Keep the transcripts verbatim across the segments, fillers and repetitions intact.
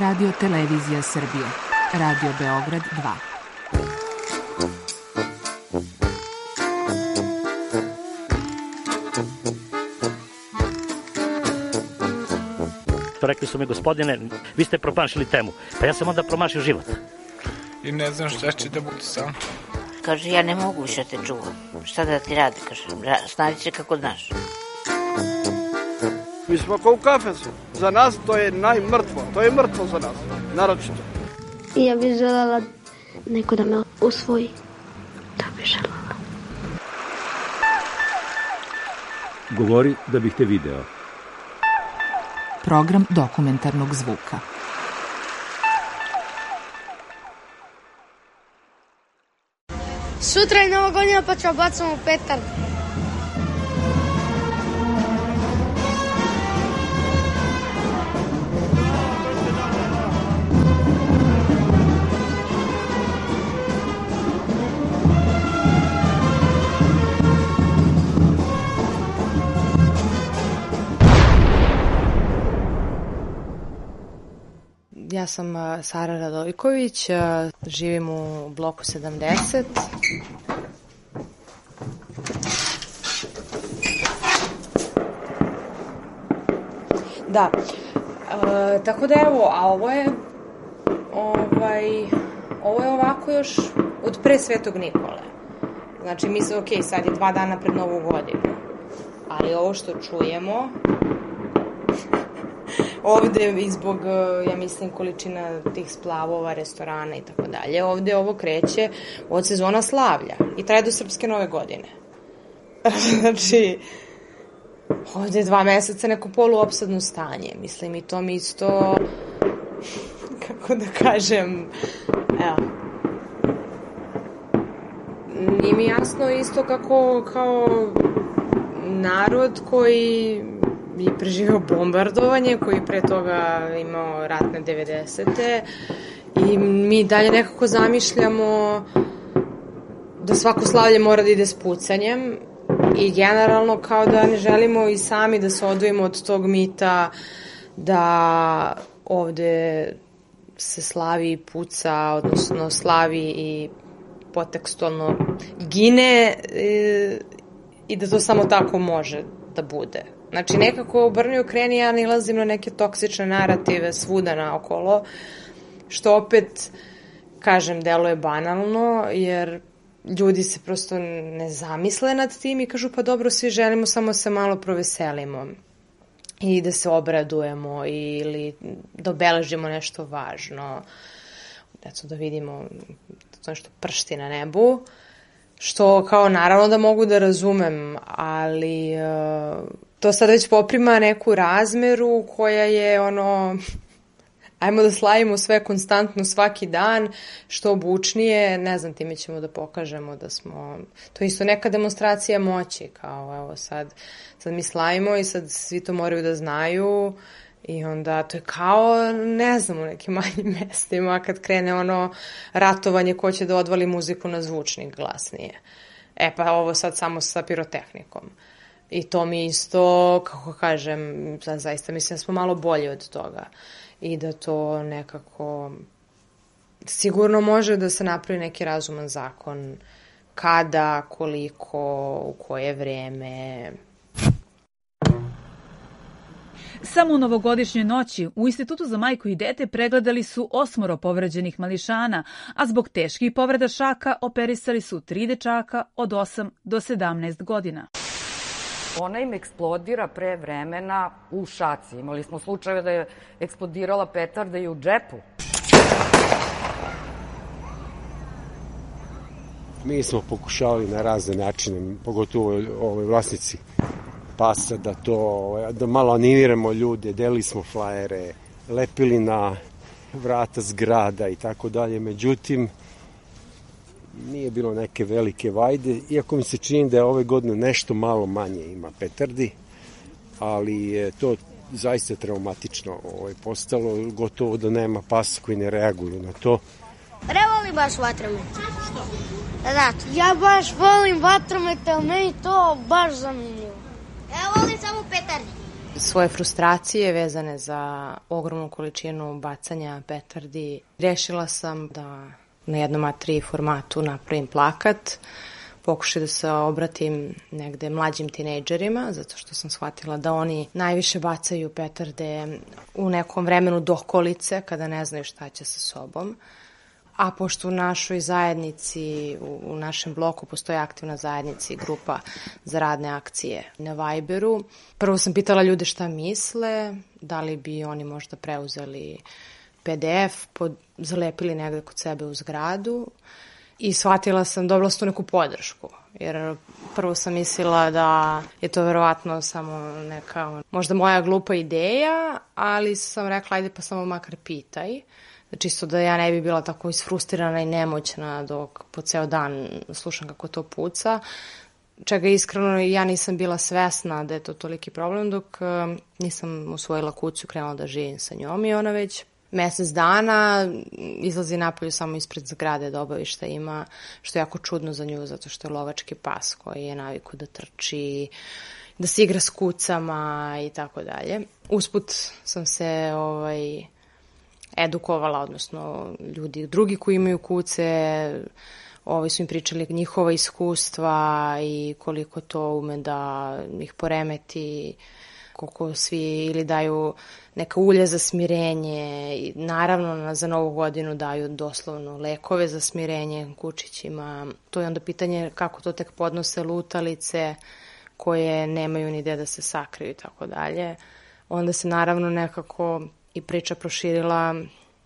Radio Televizija Srbije. Radio Beograd dva. Rekli su mi, gospodine, vi ste promašili temu. Pa ja sam onda promašio život. I ne znam šta će da bude sam. Kaže, ja ne mogu više te čuvam. Šta da ti radi, kaže, snađi se kako znaš. Mi smo kao u kafesu. Za nas to je najmrtvo. To je mrtvo za nas, naročito. I ja bih želela neko da me usvoji. To bih želela. Govori da bih te video. Program dokumentarnog zvuka. Sutra je Nova godina pa ćemo bacamo petar. Ja sam Sara Radojković, živim u bloku sedamdeset. Da, e, tako da evo, a ovo je, ovaj, ovo je ovako još od pre Svetog Nikole. Znači, mi se, ok, sad je dva dana pred Novu godinu, ali ovo što čujemo... Ovde i zbog, ja mislim, količina tih splavova, restorana i tako dalje, ovde ovo kreće od sezona slavlja i traje do Srpske nove godine. Znači, ovde je dva meseca neko poluopsadno stanje, mislim, i to mi isto, kako da kažem, evo, nije mi jasno isto kako, kao narod koji je preživao bombardovanje, koji pre toga imao ratne devedesete i mi dalje nekako zamišljamo da svako slavlje mora da ide s pucanjem i generalno kao da ne želimo i sami da se odvojimo od tog mita da ovde se slavi i puca, odnosno slavi i potekstualno gine i, i da to samo tako može da bude. Znači, nekako obrni okreni, ja nalazim na neke toksične narative svuda naokolo, što opet, kažem, deluje banalno, jer ljudi se prosto ne zamisle nad tim i kažu, pa dobro, svi želimo, samo se malo proveselimo i da se obradujemo ili da obeležimo nešto važno, eto, da vidimo to nešto pršti na nebu, što kao naravno da mogu da razumem, ali uh, to sad već poprima neku razmeru koja je ono, ajmo da slavimo sve konstantno svaki dan, što obučnije, ne znam, time ćemo da pokažemo da smo, to je isto neka demonstracija moći, kao evo sad, sad mi slavimo i sad svi to moraju da znaju i onda to je kao, ne znam, u nekim manjim mestima kad krene ono ratovanje ko će da odvali muziku na zvučnik glasnije. E pa ovo sad samo sa pirotehnikom. I to mi isto, kako kažem, zaista mislim da smo malo bolji od toga. I da to nekako sigurno može da se napravi neki razuman zakon kada, koliko, u koje vreme. Samo u novogodišnjoj noći u Institutu za majku i dete pregledali su osmoro povređenih mališana, a zbog teških povreda šaka operisali su tri dečaka od osam do sedamnaest godina. Ona im eksplodira pre vremena u šaci. Imali smo slučajeve da je eksplodirala petarda i u džepu. Mi smo pokušavali na razne načine, pogotovo ove vlasnici pasa, da to, da malo animiramo ljude, delili smo flajere, lepili na vrata zgrada i tako dalje. Međutim, nije bilo neke velike vajde, iako mi se čini da je ove godine nešto malo manje ima petardi, ali je to zaista traumatično ovaj, postalo, gotovo da nema pasa koji ne reaguju na to. Ne volim baš vatromet. Što? Zato. Ja baš volim vatromet, ali meni to baš zanimljivo. Ja volim samo petardi. svoje frustracije vezane za ogromnu količinu bacanja petardi. Rešila sam da na jednom A tri formatu napravim plakat, pokušaj da se obratim negde mlađim tinejdžerima, zato što sam shvatila da oni najviše bacaju petarde u nekom vremenu dokolice, kada ne znaju šta će sa sobom. A pošto u našoj zajednici, u našem bloku postoji aktivna zajednica i grupa za radne akcije na Viberu, prvo sam pitala ljude šta misle, da li bi oni možda preuzeli P D F, pod, zalepili negde kod sebe u zgradu i shvatila sam, dobila sam tu neku podršku, jer prvo sam mislila da je to verovatno samo neka, možda moja glupa ideja, ali sam rekla, ajde pa samo makar pitaj. Čisto da ja ne bi bila tako isfrustirana i nemoćna dok po ceo dan slušam kako to puca. Čega iskreno ja nisam bila svesna da je to toliki problem dok nisam usvojila kuću, krenula da živim sa njom i ona već mesec dana izlazi napolju samo ispred zgrade da obavi šta ima, što je jako čudno za nju zato što je lovački pas koji je naviku da trči, da se igra s kucama i tako dalje. Usput sam se ovaj... edukovala, odnosno ljudi drugi koji imaju kuce, ovi su im pričali njihova iskustva i koliko to ume da ih poremeti, koliko svi ili daju neka ulje za smirenje i naravno za novu godinu daju doslovno lekove za smirenje kučićima. To je onda pitanje kako to tek podnose lutalice koje nemaju ni gde da se sakriju i tako dalje. Onda se naravno nekako i priča proširila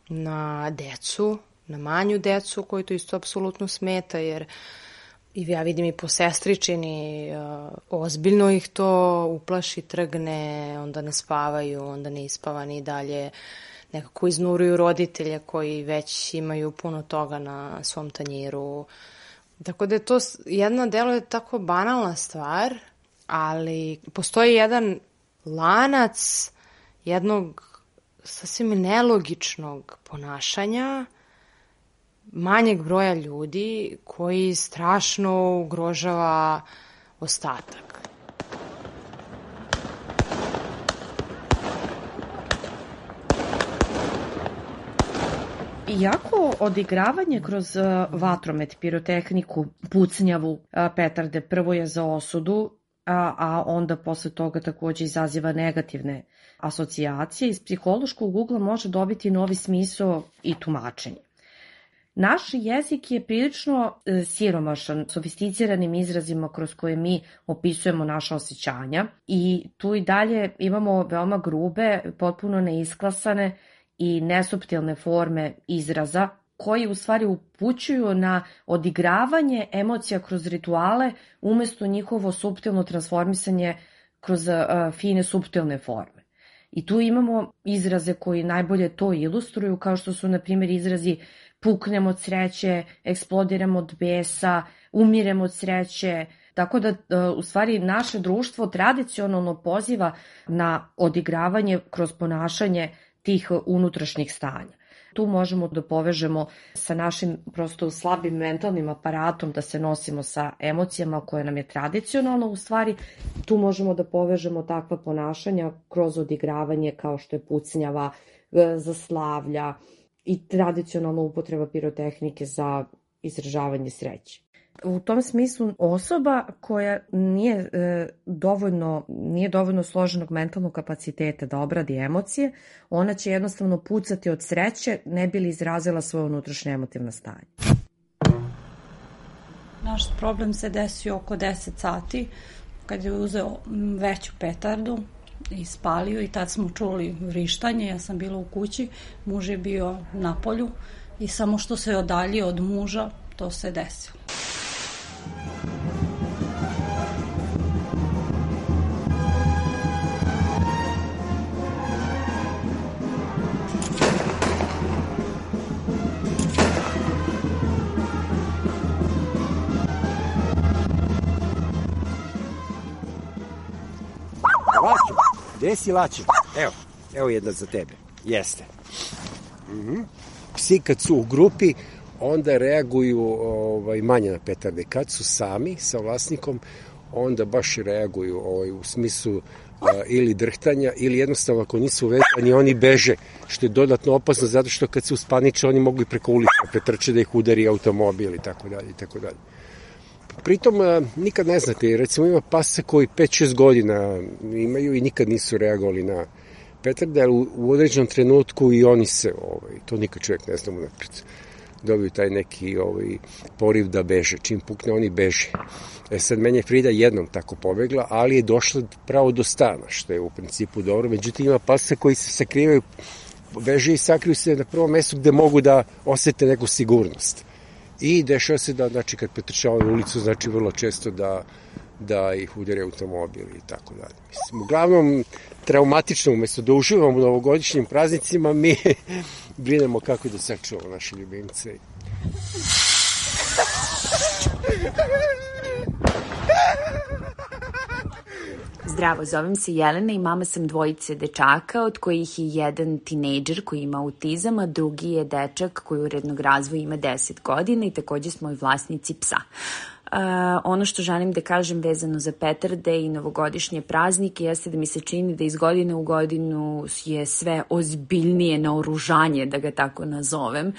na decu, na manju decu koji to isto apsolutno smeta, jer ja vidim i po sestričini, ozbiljno ih to uplaši, trgne, onda ne spavaju, onda ne ispavani i dalje nekako iznuruju roditelje koji već imaju puno toga na svom tanjiru. Tako da je to jedna delo je tako banalna stvar, ali postoji jedan lanac jednog sasvim nelogičnog ponašanja manjeg broja ljudi koji strašno ugrožava ostatak. Iako odigravanje kroz vatromet, pirotehniku, pucnjavu, petarde prvo je za osudu, a, a onda posle toga takođe izaziva negativne asocijacije, iz psihološkog ugla može dobiti novi smisao i tumačenje. Naš jezik je prilično e, siromašan, sofisticiranim izrazima kroz koje mi opisujemo naša osjećanja i tu i dalje imamo veoma grube, potpuno neisklasane i nesuptilne forme izraza koji u stvari upućuju na odigravanje emocija kroz rituale umesto njihovo suptilno transformisanje kroz uh, fine suptilne forme. I tu imamo izraze koji najbolje to ilustruju, kao što su, na primjer, izrazi puknem od sreće, eksplodiram od besa, umirem od sreće. Tako da, u stvari, naše društvo tradicionalno poziva na odigravanje kroz ponašanje tih unutrašnjih stanja. Tu možemo da povežemo sa našim prosto slabim mentalnim aparatom da se nosimo sa emocijama koje nam je tradicionalno u stvari. Tu možemo da povežemo takva ponašanja kroz odigravanje kao što je pucnjava, zaslavlja i tradicionalna upotreba pirotehnike za izražavanje sreće. U tom smislu osoba koja nije e, dovoljno, nije dovoljno složenog mentalnog kapaciteta da obradi emocije, ona će jednostavno pucati od sreće ne bi li izrazila svoje unutrašnje emotivno stanje. Naš problem se desio oko deset sati kad je uzeo veću petardu i spalio i tad smo čuli vrištanje, ja sam bila u kući, muž je bio na polju i samo što se odaljio od muža to se desilo. Lačo, gde si Lačo? Evo, evo jedna za tebe. Jeste. Mhm. Psi kad su u grupi, onda reaguju ovaj, manje na petarde. Kad su sami sa vlasnikom, onda baš reaguju ovaj, u smislu ili drhtanja, ili jednostavno ako nisu vezani, oni beže, što je dodatno opasno, zato što kad se uspaniče, oni mogu i preko ulica pretrče da ih udari automobil i tako dalje i tako dalje. Pritom nikad ne znate, recimo ima pasa koji pet šest godina imaju i nikad nisu reagovali na petarde, ali u, u određenom trenutku i oni se, ovaj, to nikad čovjek ne zna unapred, dobiju taj neki ovaj, poriv da beže. Čim pukne, oni beže. E sad, meni je Frida jednom tako pobegla, ali je došla pravo do stana, što je u principu dobro. Međutim, ima pasa koji se sakrivaju, beže i sakriju se na prvom mestu gde mogu da osete neku sigurnost. I dešava se da, znači, kad pretrčavaju ulicu, znači vrlo često da, da ih udare automobil i tako dalje. Mislim, uglavnom, traumatično, umesto da uživamo u novogodišnjim praznicima, mi brinemo kako da sačuvamo naše ljubimce. Zdravo, zovem se Jelena i mama sam dvojice dečaka, od kojih je jedan tinejdžer koji ima autizam, a drugi je dečak koji urednog razvoja ima deset godina i takođe smo i vlasnici psa. Uh, ono što želim da kažem vezano za petarde i novogodišnje praznike jeste da mi se čini da iz godine u godinu je sve ozbiljnije naoružanje, da ga tako nazovem,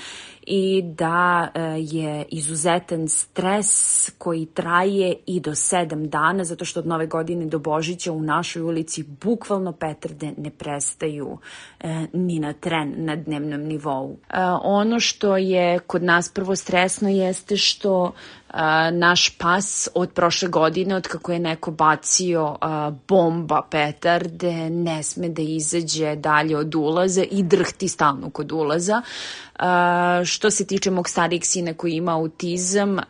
i da uh, je izuzetan stres koji traje i do sedam dana, zato što od nove godine do Božića u našoj ulici bukvalno petarde ne prestaju uh, ni na tren na dnevnom nivou. Uh, ono što je kod nas prvo stresno jeste što Uh, naš pas od prošle godine, od kako je neko bacio uh, bomba petarde, ne sme da izađe dalje od ulaza i drhti stalno kod ulaza. Uh, što se tiče mog starijeg sina koji ima autizam, uh,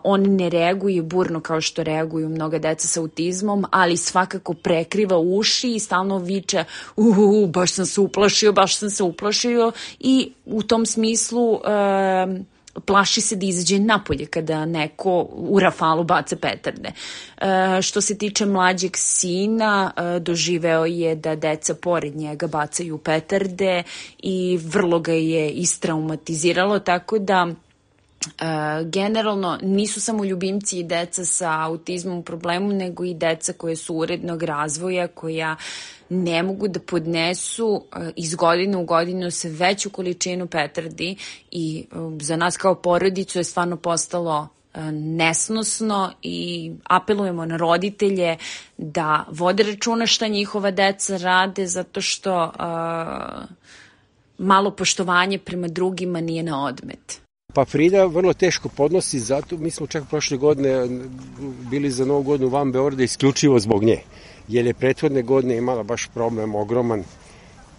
on ne reaguje burno kao što reaguju mnoga deca sa autizmom, ali svakako prekriva uši i stalno viče uhu, baš sam se uplašio, baš sam se uplašio i u tom smislu uh, plaši se da izađe napolje kada neko u rafalu baca petarde. E, što se tiče mlađeg sina, e, doživeo je da deca pored njega bacaju petarde i vrlo ga je istraumatiziralo, tako da Uh, generalno nisu samo ljubimci i deca sa autizmom u problemu, nego i deca koje su urednog razvoja, koja ne mogu da podnesu uh, iz godine u godinu sve veću količinu petardi i uh, za nas kao porodicu je stvarno postalo uh, nesnosno i apelujemo na roditelje da vode računa šta njihova deca rade, zato što uh, malo poštovanje prema drugima nije na odmet. Pa Frida vrlo teško podnosi, zato mi smo čak prošle godine bili za novu godinu van Beograda isključivo zbog nje, jer je prethodne godine imala baš problem ogroman,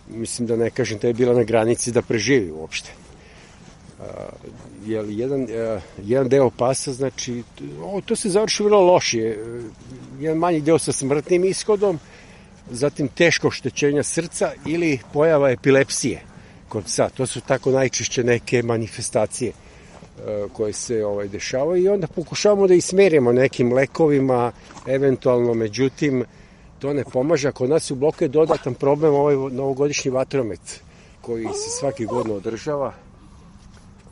mislim da ne kažem da je bila na granici da preživi uopšte. Uh, jer jedan, uh, jedan deo pasa, znači, o, to se završi vrlo loše, jedan manji deo sa smrtnim ishodom, zatim teško oštećenja srca ili pojava epilepsije kod psa. To su tako najčešće neke manifestacije uh, koje se ovaj, dešavaju i onda pokušavamo da ih smerimo nekim lekovima, eventualno, međutim, to ne pomaže. Kod nas u bloku je dodatan problem ovaj novogodišnji vatromet koji se svaki godin održava.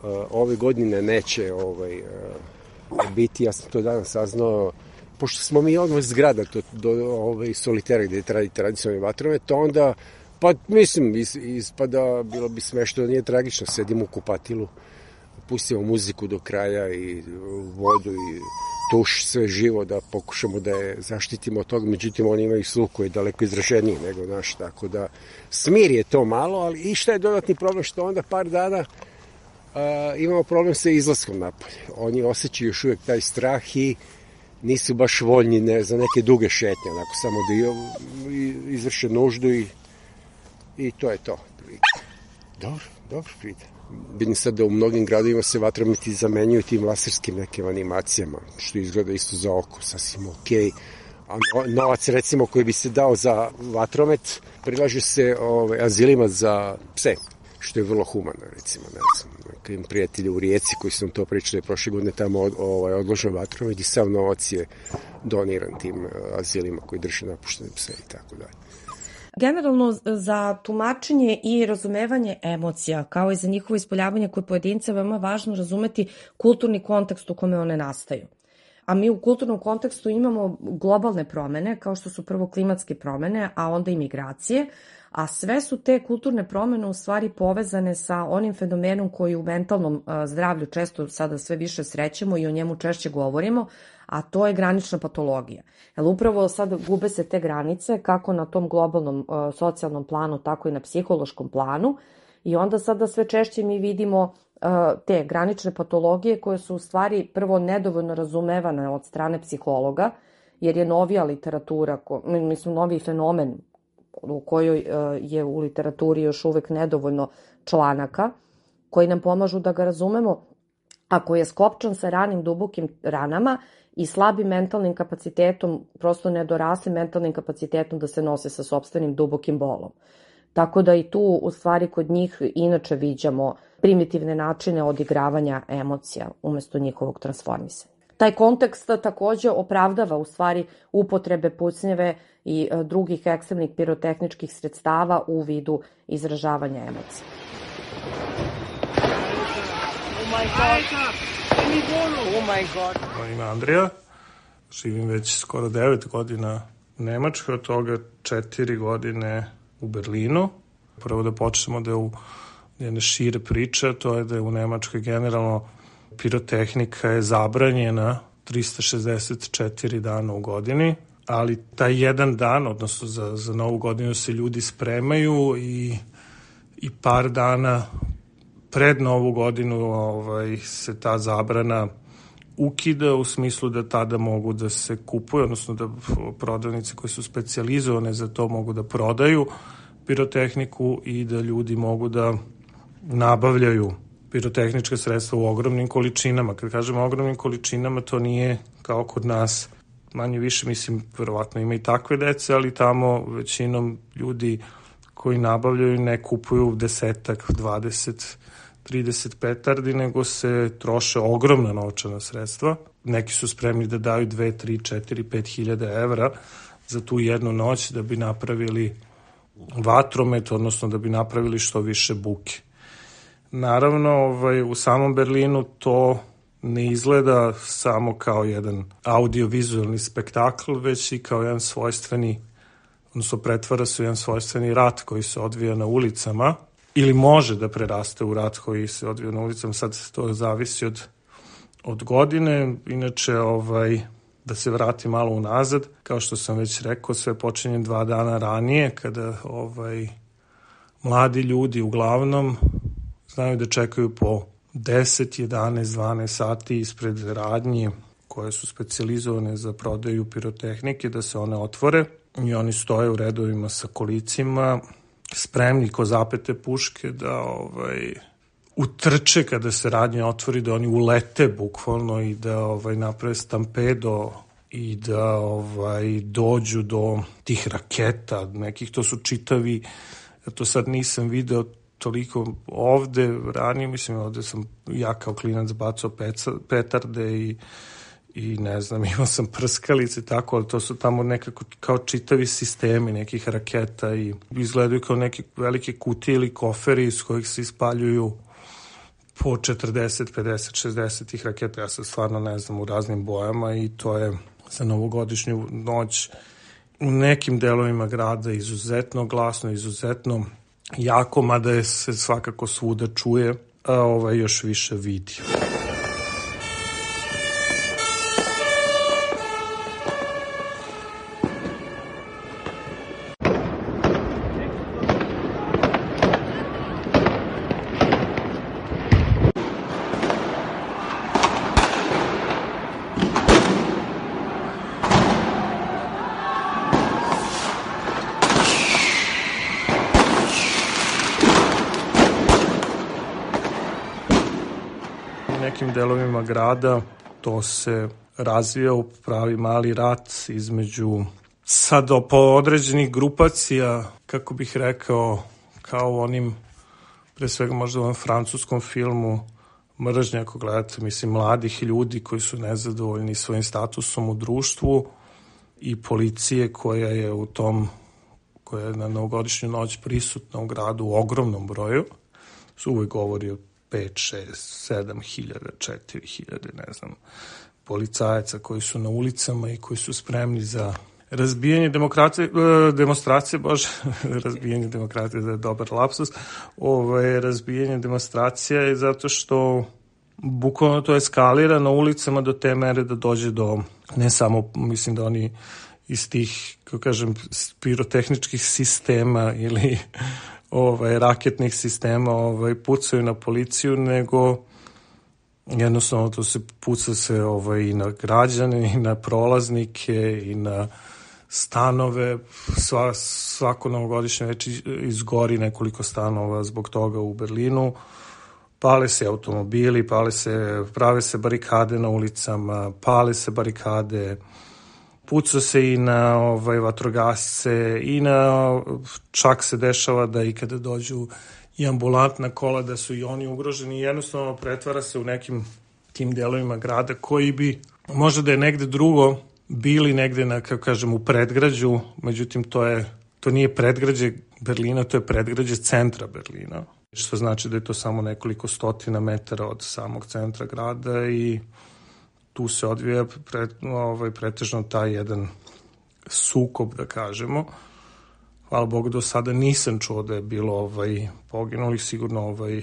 Uh, ove godine neće ovaj, uh, biti, ja sam to danas saznao, pošto smo mi odmah zgrada do, do ovaj, solitera gde je tradicionalni vatromet, onda pa mislim, ispada, bilo bi smešno, nije tragično, sedimo u kupatilu, pustimo muziku do kraja i vodu i tuš, sve živo, da pokušamo da je zaštitimo od toga, međutim oni imaju sluh koji je daleko izraženiji nego naš, tako da smir je to malo, ali i šta je dodatni problem, što onda par dana a, imamo problem sa izlaskom napolje. Oni osjećaju još uvijek taj strah i nisu baš voljni ne, za neke duge šetnje, onako samo da izvrše nuždu i I to je to. Dobro, dobro, Frida. Vidim sad da u mnogim gradovima se vatrometi zamenjuju tim laserskim nekim animacijama, što izgleda isto za oko, sasvim okej. A novac, recimo, koji bi se dao za vatromet, prilaže se ovaj, azilima za pse, što je vrlo humano, recimo. Ne znam, nekim prijatelji u Rijeci koji su nam to pričali prošle godine, tamo od, ovaj, odložen vatromet i sav novac je doniran tim azilima koji drže napuštene pse i tako dalje. Generalno, za tumačenje i razumevanje emocija, kao i za njihovo ispoljavanje kod pojedinca, veoma važno razumeti kulturni kontekst u kome one nastaju. A mi u kulturnom kontekstu imamo globalne promene, kao što su prvo klimatske promene, a onda i migracije, a sve su te kulturne promene u stvari povezane sa onim fenomenom koji u mentalnom zdravlju često sada sve više srećemo i o njemu češće govorimo, a to je granična patologija. Jer upravo sad gube se te granice kako na tom globalnom socijalnom planu, tako i na psihološkom planu, i onda sada sve češće mi vidimo te granične patologije koje su u stvari prvo nedovoljno razumevane od strane psihologa, jer je novija literatura, mislim novi fenomen u kojoj je u literaturi još uvek nedovoljno članaka koji nam pomažu da ga razumemo, a koji je skopčan sa ranim dubokim ranama i slabim mentalnim kapacitetom, prosto nedoraslim mentalnim kapacitetom da se nose sa sopstvenim dubokim bolom. Tako da i tu u stvari kod njih inače viđamo primitivne načine odigravanja emocija umesto njihovog transformisanja. Taj kontekst takođe opravdava u stvari upotrebe pucnjeve i drugih ekstremnih pirotehničkih sredstava u vidu izražavanja emocija. Oh my god! Oh my god! Moje ime Andrija, živim već skoro devet godina u Nemačkoj, od toga četiri godine u Berlinu. Prvo da počnemo da je u jedne šire priče, to je da je u Nemačkoj generalno pirotehnika je zabranjena trista šezdeset četiri dana u godini, ali taj jedan dan, odnosno za, za novu godinu se ljudi spremaju i, i par dana pred novu godinu ovaj, se ta zabrana ukida u smislu da tada mogu da se kupuju, odnosno da prodavnice koje su specijalizovane za to mogu da prodaju pirotehniku i da ljudi mogu da nabavljaju pirotehnička sredstva u ogromnim količinama. Kad kažemo ogromnim količinama, to nije kao kod nas, manje više, mislim, verovatno ima i takve dece, ali tamo većinom ljudi koji nabavljaju ne kupuju desetak, dvadeset, trideset petardi, nego se troše ogromna novčana sredstva. Neki su spremni da daju dve, tri, četiri, pet hiljada evra za tu jednu noć da bi napravili vatromet, odnosno da bi napravili što više buke. Naravno, ovaj, u samom Berlinu to ne izgleda samo kao jedan audio-vizualni spektakl, već i kao jedan svojstveni, odnosno pretvara se u jedan svojstveni rat koji se odvija na ulicama, ili može da preraste u rat koji se odvija na ulicama, sad to zavisi od, od godine. Inače, ovaj, da se vrati malo unazad, kao što sam već rekao, sve počinje dva dana ranije, kada ovaj, mladi ljudi uglavnom znaju da čekaju po deset, jedanaest, dvanaest sati ispred radnje koje su specijalizovane za prodaju pirotehnike, da se one otvore i oni stoje u redovima sa kolicima, spremni ko zapete puške da ovaj, utrče kada se radnja otvori, da oni ulete bukvalno i da ovaj, naprave stampedo i da ovaj, dođu do tih raketa nekih. To su čitavi, ja to sad nisam video toliko ovde, ranije, mislim, ovde sam ja kao klinac bacao petarde i, i ne znam, imao sam prskalice i tako, ali to su tamo nekako kao čitavi sistemi nekih raketa i izgledaju kao neke velike kutije ili koferi iz kojih se ispaljuju po četrdeset, pedeset, šezdeset tih raketa, ja sad stvarno ne znam, u raznim bojama, i to je za novogodišnju noć u nekim delovima grada izuzetno glasno, izuzetno jako, mada je se svakako svuda čuje, a ovaj još više vidi. Nekim delovima grada to se razvija u pravi mali rat između sad po određenih grupacija, kako bih rekao, kao u onim, pre svega možda u onom francuskom filmu Mržnja, ako gledate, mislim, mladih ljudi koji su nezadovoljni svojim statusom u društvu i policije koja je u tom, koja je na novogodišnju noć prisutna u gradu u ogromnom broju, su uvek govori o pet, šest, sedam hiljada, četiri hiljade, ne znam policajaca koji su na ulicama i koji su spremni za razbijanje demokracije, demonstracije, bože, razbijanje demokracije, da je dobar lapsus, ovaj, razbijanje demonstracija je zato što bukvalno to eskalira na ulicama do te mere da dođe do, ne samo, mislim da oni iz tih, kako kažem, pirotehničkih sistema ili ovaj, raketnih sistema ovaj, pucaju na policiju, nego jednostavno to se puca se ovaj, i na građane, i na prolaznike, i na stanove. Sva, svako novogodišnje već izgori nekoliko stanova zbog toga u Berlinu. Pale se automobili, pale se, prave se barikade na ulicama, pale se barikade, puca se i na ovaj, vatrogasce, i na, čak se dešava da i kada dođu i ambulantna kola da su i oni ugroženi, jednostavno pretvara se u nekim tim delovima grada koji bi možda da je negde drugo bili negde na, kako kažem, u predgrađu, međutim to je, to nije predgrađe Berlina, to je predgrađe centra Berlina, što znači da je to samo nekoliko stotina metara od samog centra grada i tu se odvija pre, ovaj, pretežno taj jedan sukob, da kažemo. Hvala Bogu, do sada nisam čuo da je bilo ovaj, poginulih, sigurno ovaj,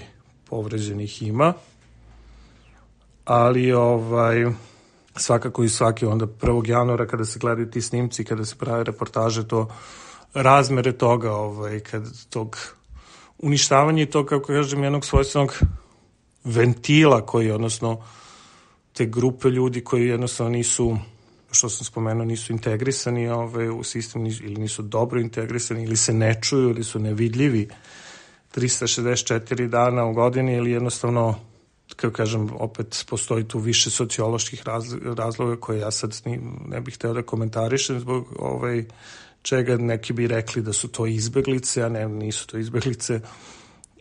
povređenih ima, ali ovaj, svakako i svaki onda prvog januara kada se gledaju ti snimci, kada se prave reportaže, to razmere toga, ovaj, kad tog uništavanja i to, kako kažem, jednog svojstvenog ventila koji, odnosno te grupe ljudi koji jednostavno nisu, što sam spomenuo, nisu integrisani ovaj, u sistem ili nisu dobro integrisani ili se ne čuju ili su nevidljivi trista šezdeset četiri dana u godini ili jednostavno, kako kažem, opet postoji tu više socioloških razloga koje ja sad ne bih hteo da komentarišem zbog ovaj, čega neki bi rekli da su to izbeglice, a ne, nisu to izbeglice.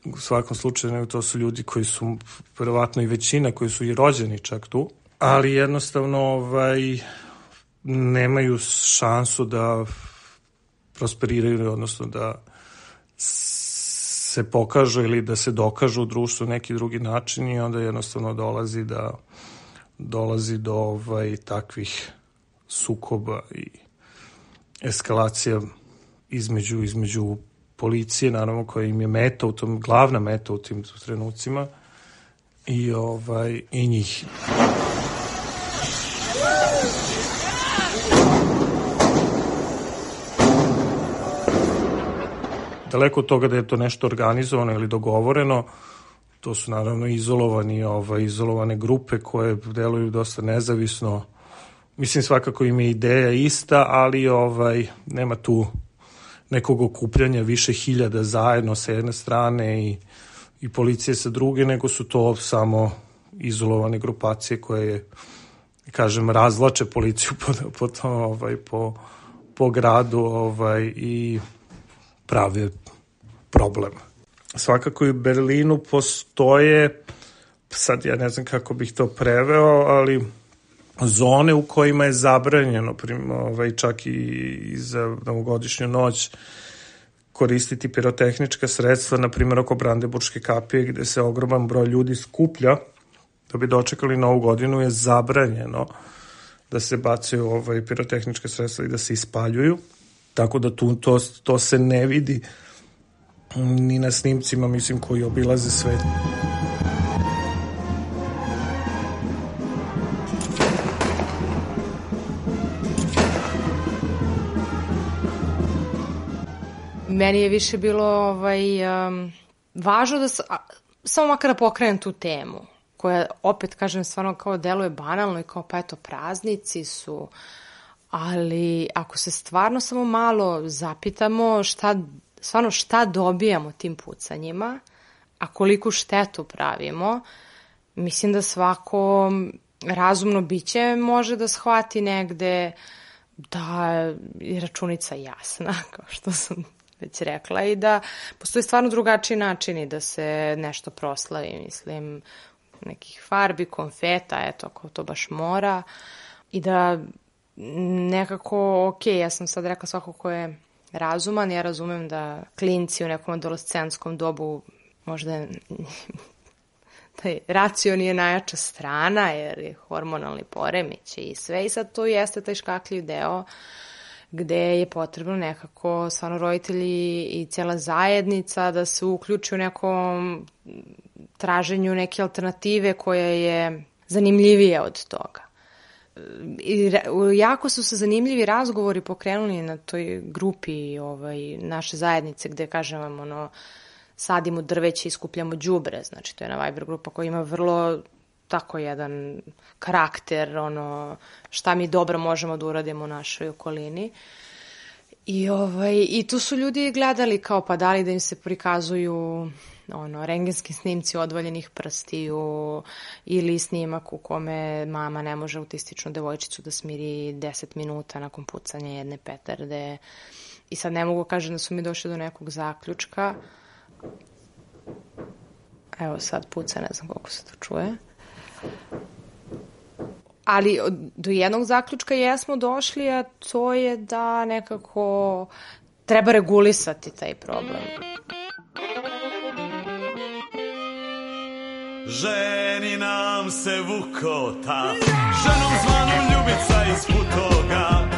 U svakom slučaju, nego to su ljudi koji su, verovatno i većina, koji su i rođeni čak tu, ali jednostavno ovaj, nemaju šansu da prosperiraju, odnosno da se pokažu ili da se dokažu u društvu neki drugi način i onda jednostavno dolazi da dolazi do ovaj, takvih sukoba i eskalacija između, između policije, naravno, koja im je meta u tom, glavna meta u tim trenucima i, ovaj, i njih. Daleko od toga da je to nešto organizovano ili dogovoreno, to su naravno izolovani, ovaj, izolovane grupe koje deluju dosta nezavisno. Mislim, svakako im je ideja ista, ali ovaj, nema tu nekog okupljanja više hiljada zajedno sa jedne strane i, i policije sa druge, nego su to samo izolovane grupacije koje, kažem, razvlače policiju po, po, to, ovaj, po, po gradu ovaj, i prave problem. Svakako i u Berlinu postoje, sad ja ne znam kako bih to preveo, ali zone u kojima je zabranjeno, ovaj, čak i za novogodišnju noć, koristiti pirotehnička sredstva, na primjer oko Brandenburške kapije, gde se ogroman broj ljudi skuplja da bi dočekali novu godinu, je zabranjeno da se bacaju ovaj, pirotehnička sredstva i da se ispaljuju. Tako da tu to, to se ne vidi ni na snimcima, mislim, koji obilaze svet. Meni je više bilo ovaj, um, važno da s, a, samo makar da pokrenem tu temu, koja, opet kažem, stvarno kao deluje banalno i kao pa eto praznici su, ali ako se stvarno samo malo zapitamo šta, stvarno šta dobijamo tim pucanjima, a koliku štetu pravimo, mislim da svako razumno biće može da shvati negde da je računica jasna, kao što sam već rekla, i da postoji stvarno drugačiji načini da se nešto proslavi, mislim, nekih farbi, konfeta, eto, ako to baš mora, i da nekako, ok, ja sam sad rekla svako ko je razuman, ja razumem da klinci u nekom adolescentskom dobu možda taj racion je najjača strana, jer je hormonalni poremećaj i sve, i sad to jeste taj škakljiv deo gde je potrebno nekako stvarno roditelji i cijela zajednica da se uključi u nekom traženju neke alternative koja je zanimljivija od toga. I jako su se zanimljivi razgovori pokrenuli na toj grupi ovaj, naše zajednice gde, kažem vam, ono, sadimo drveće i skupljamo đubre, znači to je na Viber grupa koja ima vrlo tako jedan karakter, ono, šta mi dobro možemo da uradimo u našoj okolini. I, ovaj, i tu su ljudi gledali kao pa da li da im se prikazuju ono, rengenski snimci odvaljenih prstiju ili snimak u kome mama ne može autističnu devojčicu da smiri deset minuta nakon pucanja jedne petarde. I sad ne mogu kažem da su mi došli do nekog zaključka. Evo sad puca, ne znam koliko se to čuje. Ali do jednog zaključka jesmo došli, a to je da nekako treba regulisati taj problem. Ženi nam se Vukota, ženom zvanu Ljubica iz Futoga,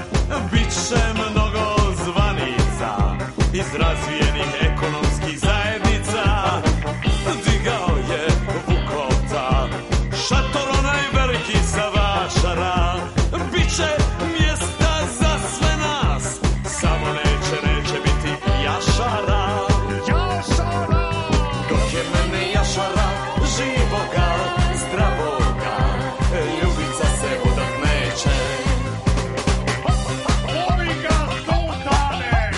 biće mnogo zvanica iz razvijenih ekonomskih zajednica. Digao je Vukota, šator onaj veliki sa vašara, biće mjesta za sve nas, samo neće, neće biti jašara. Jašara! Dok je mene jašara živoga, zdravoga, Ljubica se udat neće. Voli ga sultane!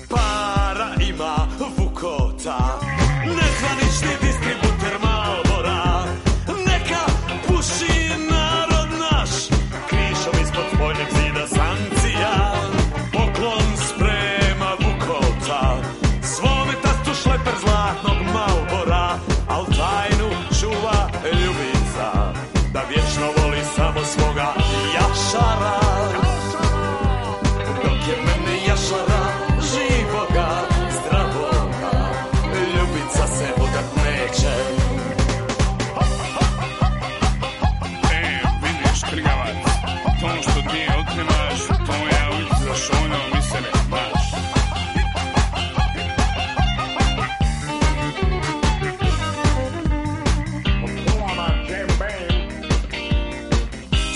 Para ima Vukota, nezvanični distributer Marlbora, neka puši narod naš, krišom ispod spoljnjeg zida sankcija. Poklon sprema Vukota, svome tastu šleper zlatnog Marlbora, al tajnu čuva Ljubica, da vječno voli samo svoga jašara. Dok je mene jašara živoga, zdravoga, Ljubica se udat neće. E, vidiš, krigavac, to što ti otimaš, to ja uvijek za šono mi se ne baš.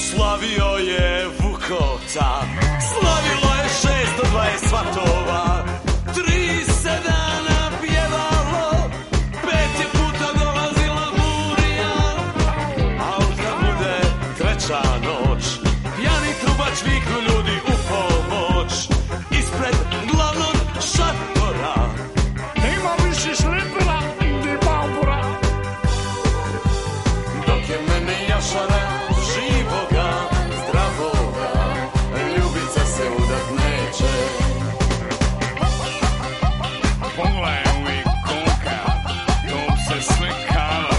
Slavio je Vukota, slavilo je šesto dvadeset svatova, tri se dana pjevalo, pet je puta dolazila burija, al kad bude treća noć, pijani trubač viknu ljudi u pomoć, ispred glavnog šatora. Nema više šlepera ni Marlbora. Dok je mene jašara živoga, zdravoga, Ljubica se udat neće. Pogledaj uvijek kolika, to se sve kala.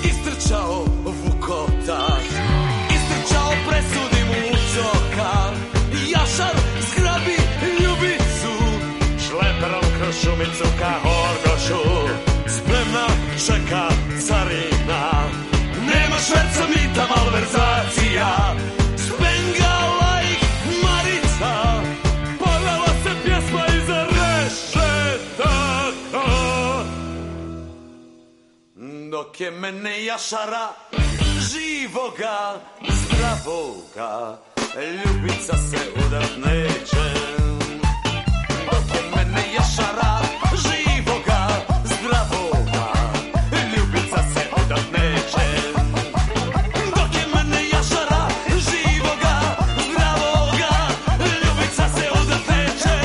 Istrčao Vukota, istrčao presudi mu ucoka, jašar zgrabi Ljubicu, šleperom kroz šumicu ka Horgošu, spremna čeka carina, nema šverca mita malverzacija, spengala ih Marica, povela se pjesma iza rešetaka. Dok je mene jašara živoga, zdravoga, Ljubica se udat neće. Dok je mene jašara živoga, zdravoga, Ljubica se udat neće. Dok je mene jašara živoga, zdravoga, Ljubica se udat neće.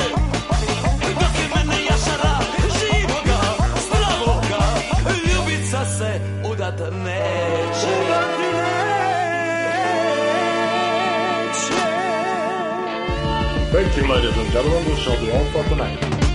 Dok je mene jašara živoga, zdravoga, Ljubica se udat neće. evening, ladies and gentlemen. This shall be all for tonight.